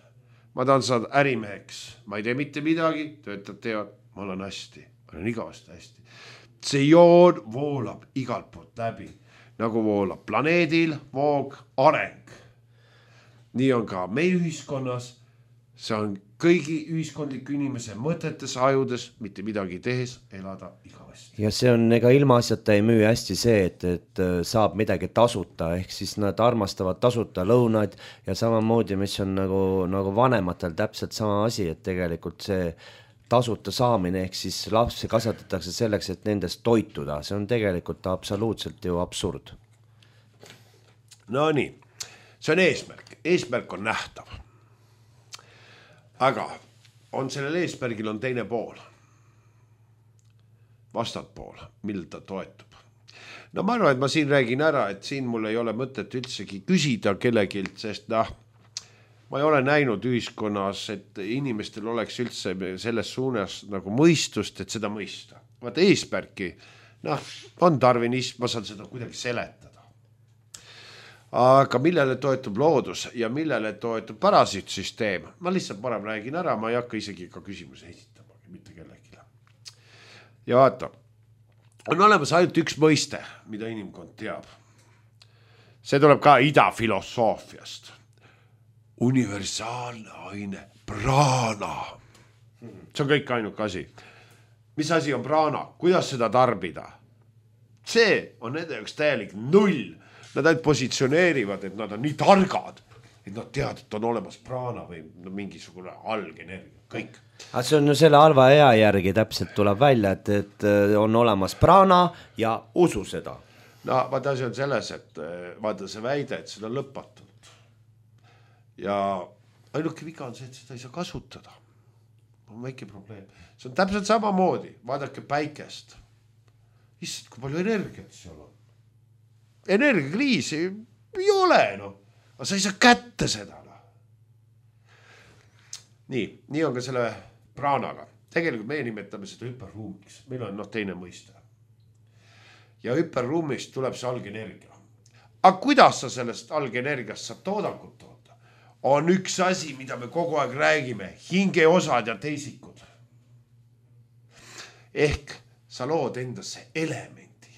Ma tahan saada ärimeheks. Ma ei tee mitte midagi, töötad teevad, ma olen hästi. Ma olen igavasti hästi. See joon voolab igalt poolt läbi. Nagu voolab planeedil, voog, areng. Nii on ka meie ühiskonnas. See on kõigi ühiskondliku inimese mõtetes, ajudes, mitte midagi tehes, elada igavesti. Ja see on, ega ilmaasjata ei müü hästi see, et saab midagi tasuta, ehk siis nad armastavad tasuta lõunad ja samamoodi, mis on nagu vanematel täpselt sama asi, et tegelikult see tasuta saamine, ehk siis lapsi kasvatatakse selleks, et nendest toituda. See on tegelikult absoluutselt ju absurd. No nii, see on eesmärk. Eesmärk on nähtav. Aga on sellel eesmärgil on teine pool. Vastatpool, mille ta toetub. No ma arvan, et ma siin räägin ära, et siin mul ei ole mõtet üldsegi küsida kellegilt, sest ma ei ole näinud ühiskonnas, et inimestel oleks üldse selles suunas nagu mõistust, et seda mõista. Vaata eesmärki, on darwinism, ma saan seda kuidagi seletada. Aga millele toetub loodus ja millele toetub parasiitsüsteem? Ma lihtsalt parem räägin ära, ma ei hakka isegi ka küsimuse esitama, mitte kellegile. Ja vaata, on olemas ainult üks mõiste, mida inimkond teab. See tuleb ka ida filosoofiast. Universaalne aine, praana. See on kõik ainuke asi. Mis asi on praana? Kuidas seda tarbida? See on nende jaoks täielik null. Nad ainult positsioneerivad, et nad on nii targad, et nad teavad, et on olemas praana või mingisugune algenergia, kõik. Aga see on ju selle halva ea järgi täpselt tuleb välja, et on olemas praana ja usu seda. No vaata asi on selles, et vaata see väide, et seda on lõpmatult. Ja ainuke viga on see, et seda ei saa kasutada. on väike probleem. See on täpselt samamoodi, vaadake päikest. Issand, kui palju energiat seal on. Energiakriisi ei ole, aga sa ei saa kätte seda. Nii on ka selle praanaga. Tegelikult meie nimetame seda hüperruumiks. Meil on teine mõiste. Ja hüperruumist tuleb see algenergia. Aga kuidas sa sellest algenergiast saab toodangut toota? On üks asi, mida me kogu aeg räägime. Hingeosad ja teisikud. Ehk sa lood endasse elementi.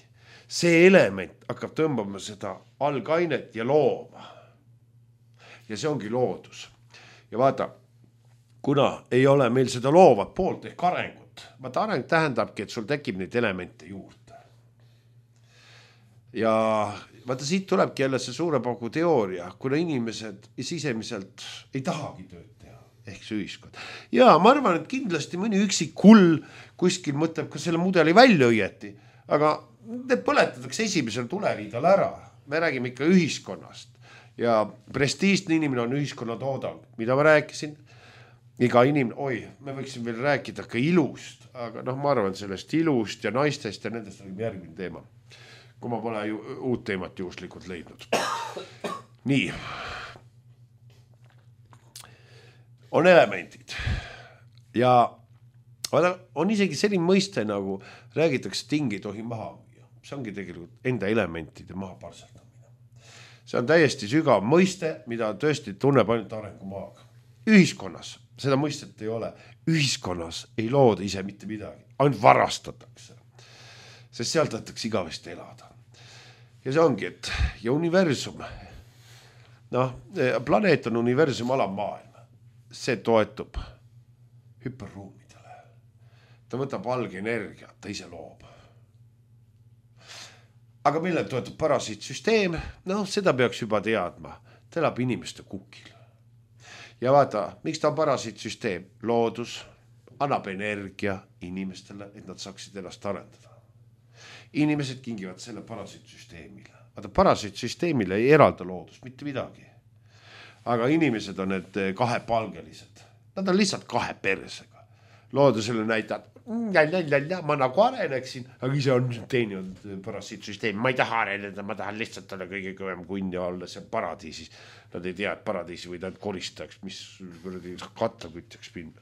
See element hakkab tõmbama seda algainet ja looma. Ja see ongi loodus. Ja vaata, kuna ei ole meil seda loovat poolt ehk arengut. Vaata, areng tähendabki, et sul tekib neid elemente juurde. Ja vaata, siit tulebki jälle see suure paugu teooria, kuna inimesed sisemiselt ei tahagi tööd teha, ehk see ühiskond. Ja ma arvan, et kindlasti mõni üksik kull kuskil mõtleb ka selle mudeli välja õieti, aga need põletatakse esimesel tuleriidal ära. Me räägime ikka ühiskonnast ja prestiižne inimene on ühiskonna toodang, mida ma rääkisin. Iga inimene, me võiksin veel rääkida ka ilust, aga ma arvan sellest ilust ja naistest ja nendest on järgmine teema. Kui ma pole uut teemat juhuslikult leidnud. Nii. On elemendid. Ja on isegi selline mõiste nagu räägitakse, et ting ei tohi maha müüa. See ongi tegelikult enda elementide maha parsaldamine. See on täiesti sügav mõiste, mida tõesti tunneb ainult arengumaaga. Ühiskonnas seda mõistet ei ole. Ühiskonnas ei looda ise mitte midagi. Ainult varastatakse. Sest sealt tahetakse igavesti elada. Ja see ongi, et ja universum, planeet on universum alammaailm. See toetub hüperruumidele. Ta võtab algenergia, ta ise loob. Aga millel toetub parasiitsüsteem? Seda peaks juba teadma. Ta elab inimeste kukil. Ja vaata, miks ta on parasiitsüsteem? Loodus annab energia inimestele, et nad saaksid ennast arendada. Inimesed kingivad selle parasiitsüsteemile. Vaata, parasiitsüsteemile ei eralda loodus, mitte midagi. Aga inimesed on need kahepalgelised. Nad on lihtsalt kahe persega. Loodusele näitad, ma nagu areneksin, aga ise on teeninud parasiitsüsteemi. Ma ei taha areneda, ma tahan lihtsalt olla kõige kõvem kunn ja olla seal paradiisis. Nad ei tea, et paradiisi võid ainult koristajaks, mis kattakütjaks pinda.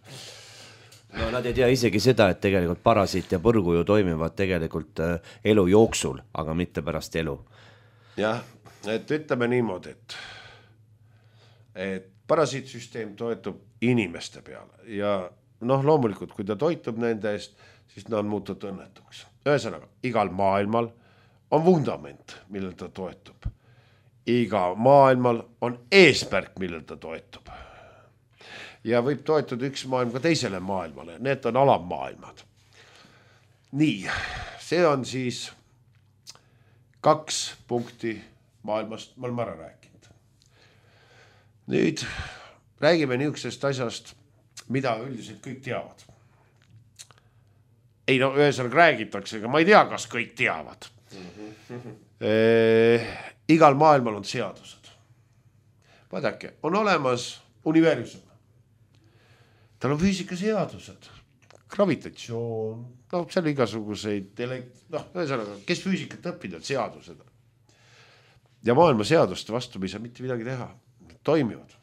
Nad ei tea isegi seda, et tegelikult parasiit ja põrgu ju toimivad tegelikult elu jooksul, aga mitte pärast elu. Jah, et ütleme niimoodi, et parasiitsüsteem toetub inimeste peale ja loomulikult, kui ta toitub nende eest, siis nad on muutunud õnnetuks. Ühesõnaga, igal maailmal on vundament, millel ta toetub. Iga maailmal on eesmärk, millel ta toetub. Ja võib toetuda üks maailm ka teisele maailmale. Need on alammaailmad. Nii, see on siis 2 punkti maailmast, me oleme ära rääkinud. Nüüd räägime niisugusest asjast, mida üldiselt kõik teavad. Ei ühesõnaga räägitakse, aga ma ei tea, kas kõik teavad. Igal maailmal on seadused. Vaadake, on olemas universum. Tal on füüsikaseadused, gravitatsioon, seal igasuguseid, ühesõnaga, kes füüsikat õppinud, seadused. Ja maailma seaduste vastu me ei saa mitte midagi teha, toimivad.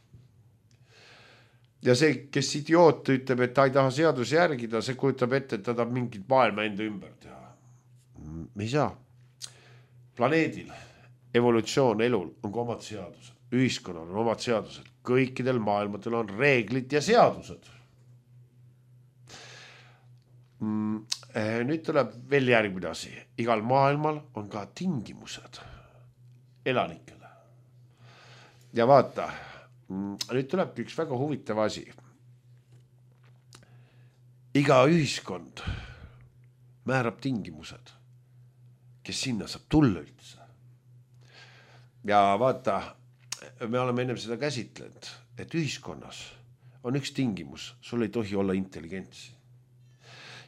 Ja see, kes idioot ütleb, et ta ei taha seaduse järgida, see kujutab ette, et ta tahab mingit maailma enda ümber teha. Me ei saa. Planeedil, evolutsioon, elul on ka omad seadused, ühiskonnal on omad seadused, kõikidel maailmadel on reeglid ja seadused. Nüüd tuleb veel järgmine asi. Igal maailmal on ka tingimused elanikele. Ja vaata, nüüd tulebki üks väga huvitav asi. Iga ühiskond määrab tingimused, kes sinna saab tulla üldse. Ja vaata, me oleme ennem seda käsitlenud, et ühiskonnas on üks tingimus, sul ei tohi olla intelligentsi.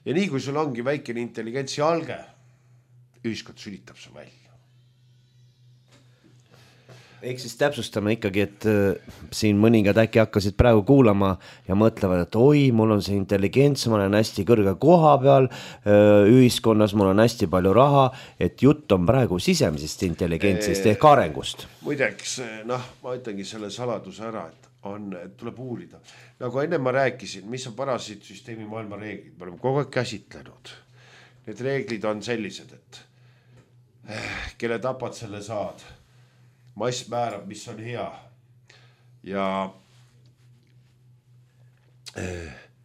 Ja nii kui sul ongi väikene intelligentsi alge, ühiskond sülitab su välja. Ehk siis täpsustame ikkagi, et siin mõningad äkki hakkasid praegu kuulama ja mõtlevad, et oi, mul on see intelligents, ma olen hästi kõrge koha peal, ühiskonnas mul on hästi palju raha, et jutt on praegu sisemisest intelligentsist ehk arengust. Muideks, ma ütlengi selle saladuse ära, et tuleb uurida. Nagu enne ma rääkisin, mis on parasiitsüsteemi maailma reeglid, me oleme kogu aeg käsitlenud. Need reeglid on sellised, et kelle tapad, selle saad. Mass määrab, mis on hea ja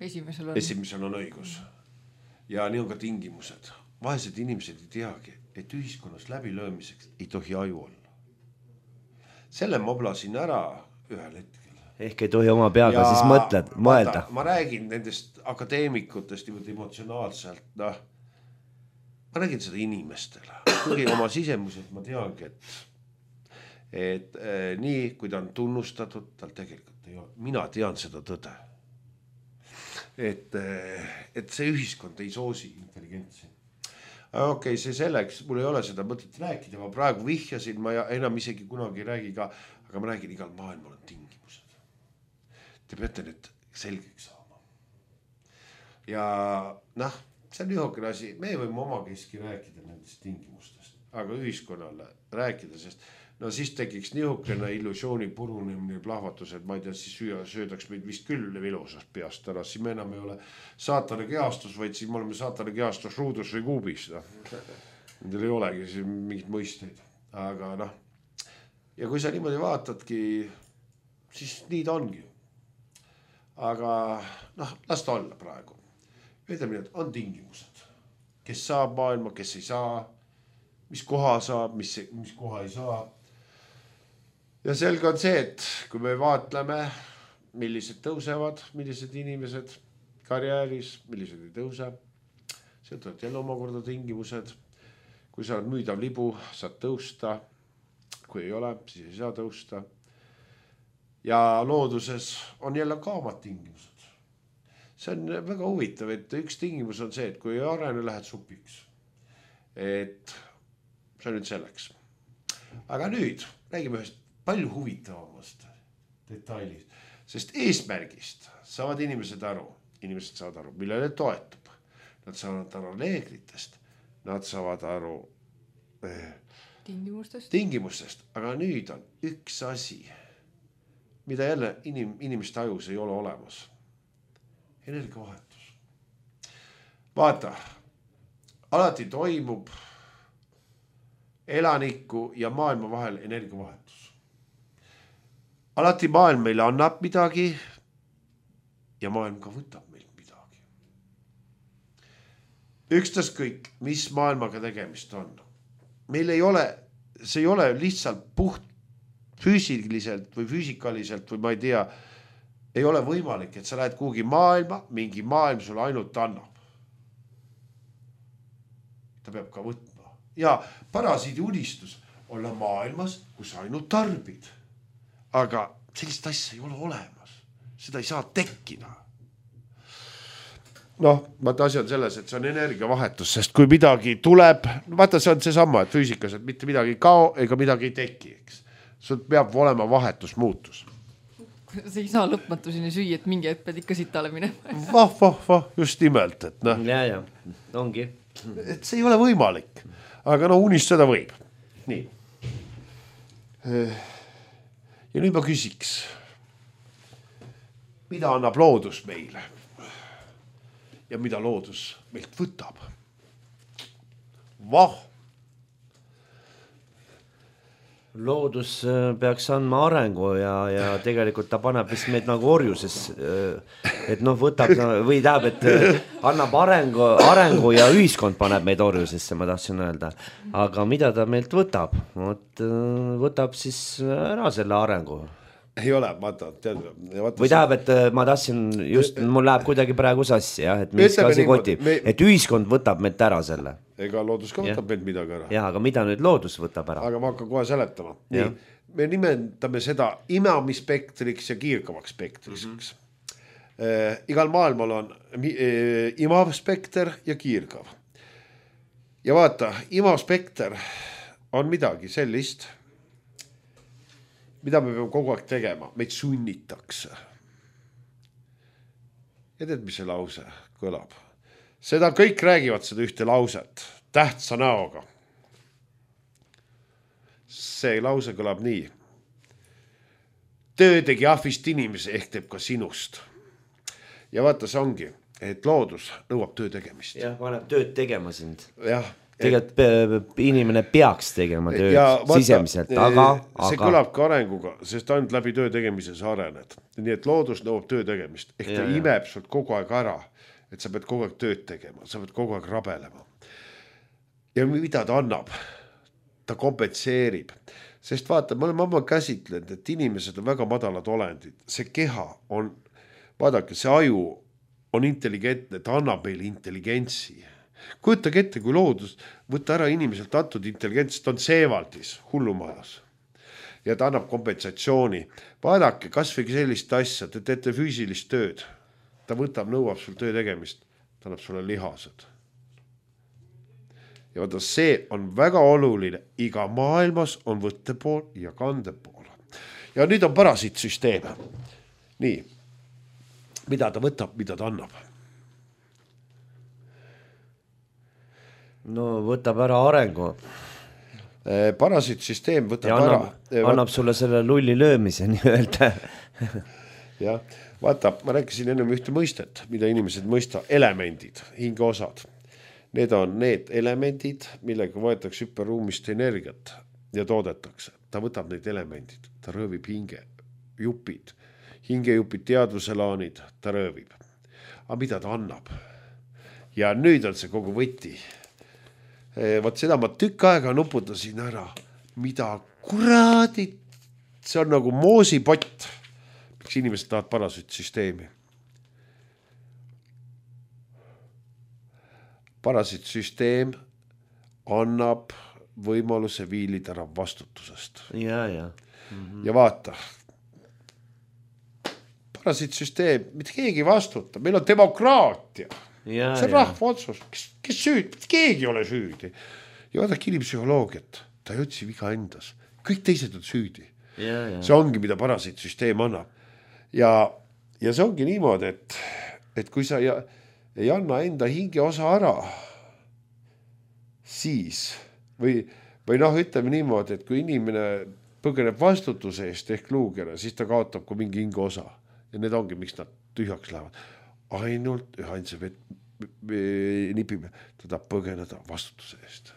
esimesel on õigus ja nii on ka tingimused. Vaesed inimesed ei teagi, et ühiskonnas läbilöömiseks ei tohi aju olla. Selle ma oblasin ära ühel hetkel. Ehk ei tohi oma peaga siis mõelda. Ma räägin nendest akadeemikutest emotsionaalselt, ma räägin seda inimestele. Kuigi oma sisemuselt ma teangi, et nii, kui ta on tunnustatud, tal tegelikult ei ole. Mina tean seda tõde. Et see ühiskond ei soosi intelligentsi. Okei, see selleks, mul ei ole seda mõtet rääkida, ma praegu vihjasin, ma enam isegi kunagi ei räägi ka, aga ma räägin, igal maailmal on tingimused. Te peate need selgeks saama. Ja see on ühokene asi, me võime omakeski rääkida nendest tingimustest, aga ühiskonnale rääkida, sest siis tekiks nihukene illusiooni purunemine plahvatus, et ma ei tea, siis söödaks meid vist küll vilosast peast ära, siis me enam ei ole saatana kehastus, vaid siis me oleme saatana kehastus ruudus või kuubis. Nendel ei olegi siis mingit mõisteid, aga ja kui sa niimoodi vaatadki, siis nii ta ongi. Aga las ta olla praegu. Ütleme, et on tingimused, kes saab maailma, kes ei saa, mis koha saab, mis koha ei saa. Ja selge on see, et kui me vaatleme, millised tõusevad, millised inimesed karjääris, millised ei tõuse, sealt on jälle omakorda tingimused. Kui sa oled müüdav libu, saad tõusta, kui ei ole, siis ei saa tõusta. Ja looduses on jälle ka omad tingimused. See on väga huvitav, et üks tingimus on see, et kui ei arene, lähed supiks. Et see on nüüd selleks. Aga nüüd räägime ühest palju huvitavamast detailist, sest eesmärgist saavad inimesed saavad aru, millele toetub. Nad saavad aru reeglitest, nad saavad aru tingimustest, aga nüüd on üks asi, mida jälle inimeste ajus ei ole olemas. Energiavahetus. Vaata, alati toimub elaniku ja maailma vahel energiavahetus. Alati maailm meile annab midagi ja maailm ka võtab meilt midagi. Ükstaskõik, mis maailmaga tegemist on. Meil ei ole, see ei ole lihtsalt puht füüsiliselt või füüsikaliselt või ma ei tea, ei ole võimalik, et sa lähed kuhugi maailma, mingi maailm sulle ainult annab. Ta peab ka võtma. Ja parasiidi unistus olla maailmas, kus ainult tarbid. Aga sellist asja ei ole olemas. Seda ei saa tekkida. Vaata asi on selles, et see on energiavahetus, sest kui midagi tuleb, vaata see on see sama, et füüsikas, et mitte midagi ei kao ega midagi ei teki, eks. Sul peab olema vahetus, muutus. See ei saa lõpmatuseni süüa, et mingi hetk pead ikka sitale minema. Just nimelt, et Ja, ongi. Et see ei ole võimalik, aga unistada võib. Nii. Ja nüüd ma küsiks, mida annab loodus meile ja mida loodus meilt võtab? Loodus peaks andma arengu ja tegelikult ta paneb vist meid nagu orjuses, et võtab või tähendab, et annab arengu ja ühiskond paneb meid orjusesse, ma tahtsin öelda. Aga mida ta meilt võtab? Võtab siis ära selle arengu. Ei ole, vaata. Või tähendab, et ma tahtsin just, mul läheb kuidagi praegu sassi, et mis asi kotib, et ühiskond võtab meilt ära selle. Ega loodus ka võtab meilt midagi ära. Ja, aga mida nüüd loodus võtab ära? Aga ma hakkan kohe seletama. Nii, me nimetame seda imamispektriks ja kiirkavaks spektriks. Igal maailmal on imamspekter ja kiirkav. Ja vaata, imamspekter on midagi sellist, mida me peame kogu aeg tegema, meid sunnitakse. Ja tead, mis see lause kõlab? Seda kõik räägivad seda ühte lauset, tähtsa näoga. See lause kõlab nii. Töö tegi ahvist inimese ehk teeb ka sinust. Ja vaata, see ongi, et loodus nõuab töö tegemist. Jah, paneb tööd tegema sind. Jah. Tegelikult inimene peaks tegema tööd sisemiselt, aga... See kõlab ka arenguga, sest ainult läbi töö tegemise sa arened. Nii et loodus nõuab töö tegemist. Ehk ta imeb sult kogu aeg ära, et sa pead kogu aeg tööd tegema, sa pead kogu aeg rabelema. Ja mida ta annab? Ta kompenseerib. Sest vaata, me oleme amma käsitlenud, et inimesed on väga madalad olendid. See keha on, vaadake, see aju on intelligentne, ta annab meile intelligentsi. Kujutage ette, kui loodus võtta ära inimeselt antud intelligents, ta on Seevaldis, hullumajas. Ja ta annab kompensatsiooni. Vaadake, kas või sellist asja, te teete füüsilist tööd. Ta võtab, nõuab sul töö tegemist, ta annab sulle lihased. Ja vaata, see on väga oluline. Iga maailmas on võttepool ja kandepool. Ja nüüd on parasiitsüsteem. Nii, mida ta võtab, mida ta annab? No võtab ära arengu. Parasiitsüsteem võtab ja ära. Annab sulle selle lulli löömise nii öelda. Ja, vaata, ma rääkisin ennem ühte mõistet, mida inimesed mõista, elemendid, hingeosad. Need on need elemendid, millega võetakse hüperruumist energiat ja toodetakse. Ta võtab neid elemendid, ta röövib hinge, jupid, hingejupid, teadvuselaanid, ta röövib. Aga mida ta annab? Ja nüüd on see kogu võti. Vaat seda ma tükk aega nuputasin ära. Mida kuradit? See on nagu moosipott. Miks inimesed tahavad parasiitsüsteemi? Parasiitsüsteem annab võimaluse viilida ära vastutusest. Ja. Ja vaata. Parasiitsüsteem, mitte keegi vastuta. Meil on demokraatia. See on rahva otsus. Kes süüd? Keegi ei ole süüdi. Ja vaadake inimpsühholoogiat. Ta ei otsi viga endas. Kõik teised on süüdi. See ongi, mida parasiitsüsteem annab. Ja see ongi niimoodi, et kui sa ei anna enda hinge osa ära, siis või ütleme niimoodi, et kui inimene põgeneb vastutuse eest ehk luugele, siis ta kaotab ka mingi hinge osa. Ja need ongi, miks nad tühjaks lähevad. Ainult ühainse nipime, ta tahab põgeneda vastutuse eest.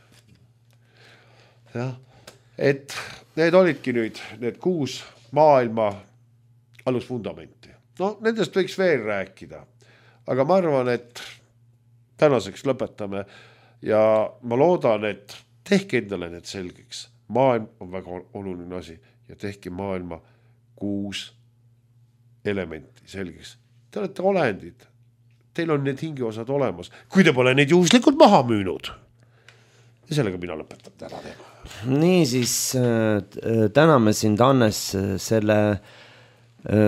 Ja, et need olidki nüüd need 6 maailma alusfundamenti. No nendest võiks veel rääkida. Aga ma arvan, et tänaseks lõpetame ja ma loodan, et tehke endale need selgeks. Maailm on väga oluline asi ja tehke maailma 6 elementi selgeks. Te olete olendid. Teil on need hingeosad olemas, kui te pole neid juhuslikult maha müünud. Ja sellega mina lõpetan täna teema. Nii siis täname sind, Hannes, selle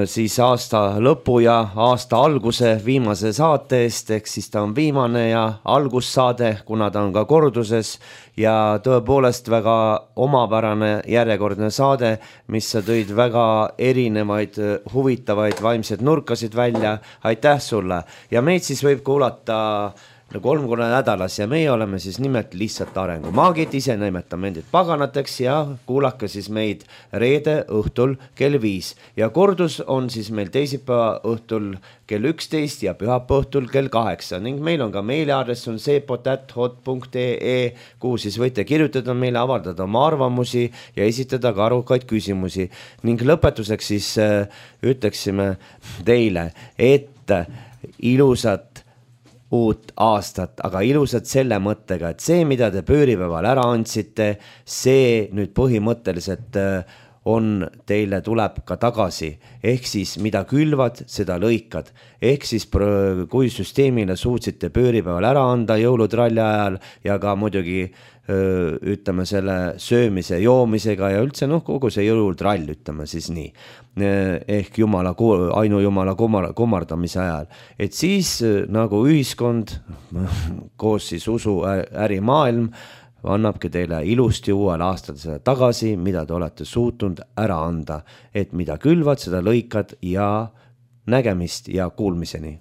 siis aasta lõpu ja aasta alguse viimase saate eest, ehk siis ta on viimane ja algussaade, kuna ta on ka korduses ja tõepoolest väga omapärane järjekordne saade, mis sa tõid väga erinevaid huvitavaid vaimseid nurkasid välja. Aitäh sulle ja meid siis võib kuulata 3 korda nädalas ja meie oleme siis nimelt lihtsalt arengumaagid, ise nimetame endid paganateks ja kuulake siis meid reede õhtul kell 5 ja kordus on siis meil teisipäeva õhtul kell 11 ja pühapäeva õhtul kell 8 ning meil on ka meiliaadress on seepot@hot.ee, kuhu siis võite kirjutada meile, avaldada oma arvamusi ja esitada ka arukaid küsimusi ning lõpetuseks siis ütleksime teile, et ilusat uut aastat, aga ilusad selle mõttega, et see, mida te pööripäeval ära andsite, see nüüd põhimõtteliselt on teile tuleb ka tagasi. Ehk siis mida külvad, seda lõikad. Ehk siis kui süsteemile suutsite pööripäeval ära anda jõulutralli ajal ja ka muidugi ütleme selle söömise, joomisega ja üldse kogu see jõulutrall, ütleme siis nii. Ehk ainujumala kummardamise ajal. Et siis nagu ühiskond, koos siis usu ärimaailm, annabki teile ilusti uuel aastal seda tagasi, mida te olete suutnud ära anda, et mida külvad, seda lõikad ja nägemist ja kuulmiseni.